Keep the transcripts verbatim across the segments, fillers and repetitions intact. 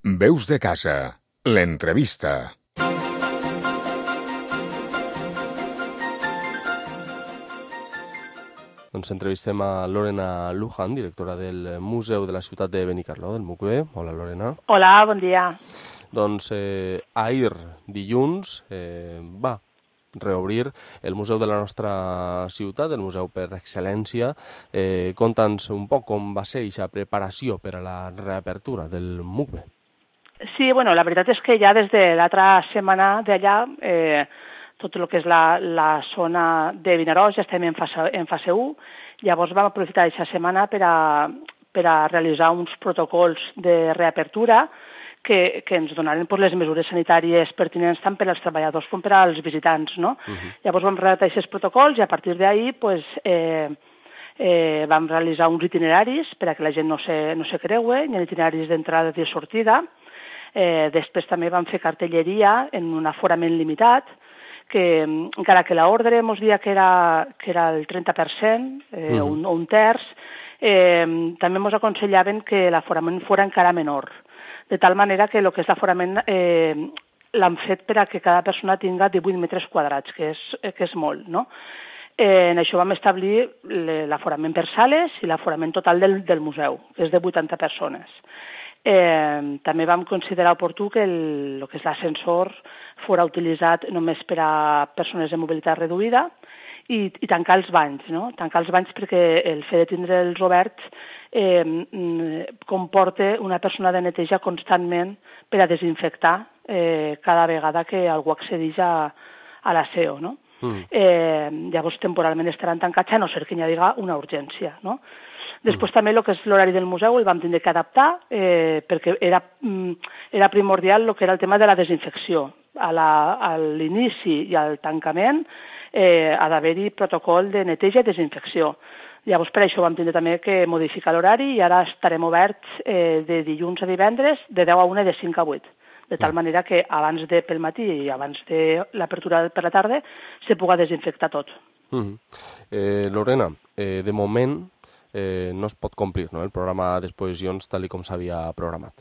Veus de casa, l'entrevista. Doncs entrevistem a Lorena Luján, directora del Museu de la Ciutat de Benicarló, del M U C B. Hola, Lorena. Hola, bon dia. Doncs eh, ahir, dilluns, eh, va reobrir el museu de la nostra ciutat, el museu per excel·lència. Eh, Conta'ns un poc com va ser aquesta preparació per a la reapertura del M U C B. Sí, bueno, la veritat és que ja des de l'altra setmana d'allà, eh, tot el que és la, la zona de Vinaròs ja estem en fase, en fase u. Llavors vam aprofitar aquesta setmana per a, per a realitzar uns protocols de reapertura que, que ens donaren pues, les mesures sanitàries pertinents tant per als treballadors com per als visitants. No? Uh-huh. Llavors vam redactar aquests protocols i a partir d'ahir pues, eh, eh, vam realitzar uns itineraris per a que la gent no se, no se creue, hi ha itineraris d'entrada i de sortida. Eh, després també vam fer cartelleria en un aforament limitat, que encara que l'ordre ens dia que era, que era el trenta per cent eh, uh-huh. un, o un terç, eh, també ens aconsellaven que l'aforament fos encara menor, de tal manera que el que és l'aforament eh, l'han fet per a que cada persona tinga divuit metres quadrats, que és, que és molt, no? Eh, en això vam establir l'aforament per sales i l'aforament total del, del museu, que és de vuitanta persones. Eh, també vam considerar oportú que el, el que és l'ascensor fos utilitzat només per a persones de mobilitat reduïda i, i tancar els banys, no? Tancar els banys perquè el fet de tindre'ls oberts eh, comporta una persona de neteja constantment per a desinfectar eh, cada vegada que algú accedeix a, a l'aseo, no? Mm. Eh, llavors temporalment estaran tancats a no ser que hi hagi una urgència, no? Després també el que és l'horari del museu el vam tindre que adaptar eh, perquè era, era primordial el que era el tema de la desinfecció. A, la, a l'inici i al tancament eh, ha d'haver-hi protocol de neteja i desinfecció. Llavors per això vam tindre també que modificar l'horari i ara estarem oberts eh, de dilluns a divendres de deu a una i de cinc a vuit. De tal manera que abans de pel matí i abans de l'apertura per la tarda se puga desinfectar tot. Mm-hmm. eh, Lorena, eh, de moment Eh, no es pot complir, no?, el programa d'exposicions tal com s'havia programat.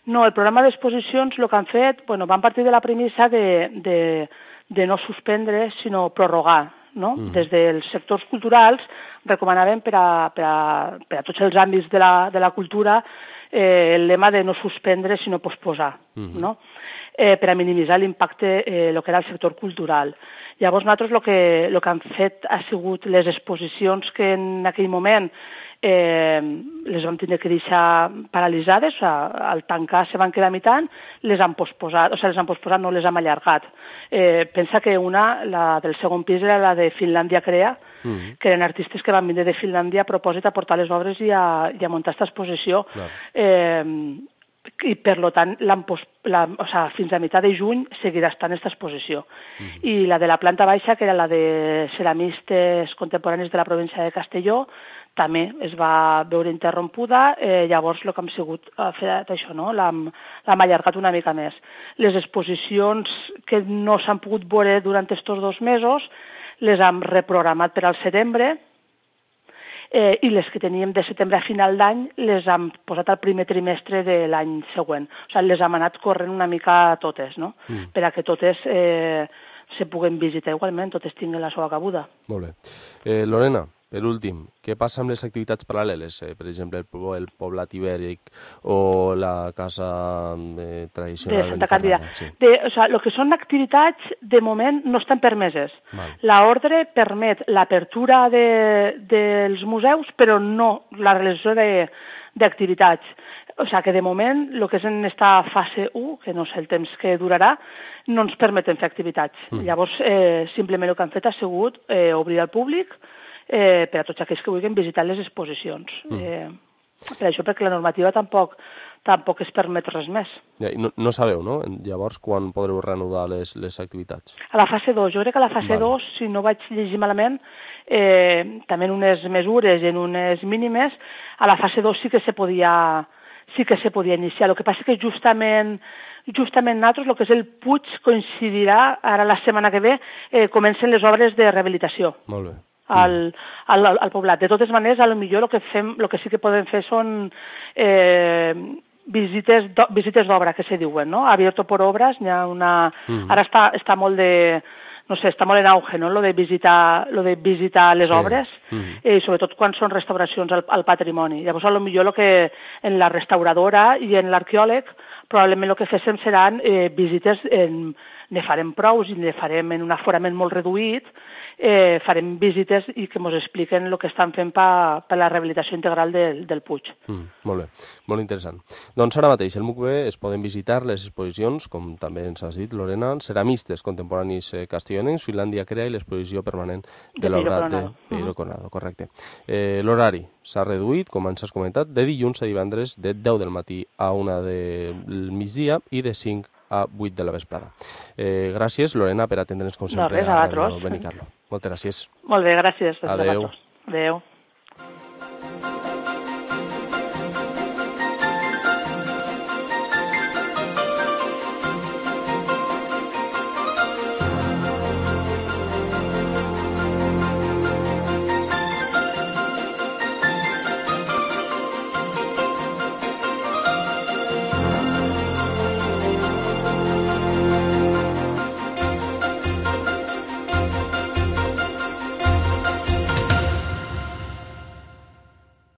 No, el programa d'exposicions el que han fet, bueno, van partir de la premissa de, de, de no suspendre, sinó prorrogar, no? Mm. Des dels sectors culturals recomanaven per a, per a, per a tots els àmbits de la, de la cultura eh, el lema de no suspendre, sinó posposar, mm. no? Eh, per a minimitzar l'impacte eh, el que era el sector cultural. Llavors nosaltres el que, el que han fet ha sigut les exposicions que en aquell moment eh, les vam tenir que deixar paralitzades, o sigui, al tancar se van quedar mitant, les han posposat, o sigui, les han posposat, no les hem allargat. Eh, pensa que una, la del segon pis, era la de Finlàndia Crea, mm-hmm. que eren artistes que van vindre de Finlàndia a propòsit a portar les obres i a, i a muntar aquesta exposició. Clar. Eh, i per tant la, o sigui, fins a meitat de juny seguirà estant aquesta exposició. Mm. I la de la planta baixa, que era la de ceramistes contemporanis de la província de Castelló, també es va veure interrompuda, eh, llavors el que hem sigut ha fet això, no? L'hem allargat una mica més. Les exposicions que no s'han pogut veure durant aquests dos mesos les hem reprogramat per al setembre, Eh, i les que teníem de setembre a final d'any les hem posat al primer trimestre de l'any següent. O sigui, les hem anat corrent una mica totes, no? Mm. Per a que totes eh, se puguen visitar igualment, totes tinguin la seva cabuda. Molt bé. Eh, Lorena, per últim, què passa amb les activitats paral·leles? Eh, per exemple, el, el Poblat Ibèric o la Casa eh, Tradicional de Santa Càndida. Sí. De, o sigui, el que són activitats, de moment, no estan permeses. L'ordre permet l'apertura de, dels museus, però no la realització d'activitats. O sigui que de moment, el que és en aquesta fase u, que no sé el temps que durarà, no ens permeten fer activitats. Mm. Llavors, eh, simplement el que han fet ha sigut eh, obrir al públic eh, per a tots aquells que vulguin visitar les exposicions. Mm. Eh, per això, perquè la normativa tampoc, tampoc es permet res més. Ja, no, no sabeu, no? Llavors, quan podreu reanudar les, les activitats? A la fase dos. Jo crec que a la fase vale. dos, si no vaig llegir malament, eh, també en unes mesures i en unes mínimes, a la fase dos sí que se podia... sí que se podia iniciar. El que passa que justament, justament nosaltres, el que és el Puig, coincidirà, ara la setmana que ve, eh, comencen les obres de rehabilitació. Molt bé. Al, al, al poblat. De totes maneres, a lo millor el que, fem, el que sí que podem fer són eh, visites do, visites d'obra, que se diuen, no? Abierto por obras, n'hi ha una... Mm. Ara està, està molt de... no sé, està molt en auge, no?, lo de visitar, lo de visitar les sí. obres, mm. eh, sobretot quan són restauracions al, al patrimoni. Llavors, a lo millor lo que en la restauradora i en l'arqueòleg probablement el que féssim seran eh, visites, en, ne farem prous i ne farem en un aforament molt reduït, eh, farem visites i que ens expliquen el que estan fent per pa la rehabilitació integral del, del Puig. Mm, molt bé, molt interessant. Doncs ara mateix, al M U C B es poden visitar les exposicions, com també ens has dit, Lorena, ceramistes contemporanis eh, castellonencs, Finlàndia crea i l'exposició permanent de, de l'obra de Peiro Coronado, correcte. Eh, L'horari s'ha reduït, com ens has comentat, de dilluns a divendres de deu del matí a una del migdia i de cinc a vuit de la vesprada. Eh, gràcies, Lorena, per atendre'ns com sempre no, res, a, a Ràdio Benicarló. Moltes gràcies. Molt bé, gràcies. Adéu. Adéu.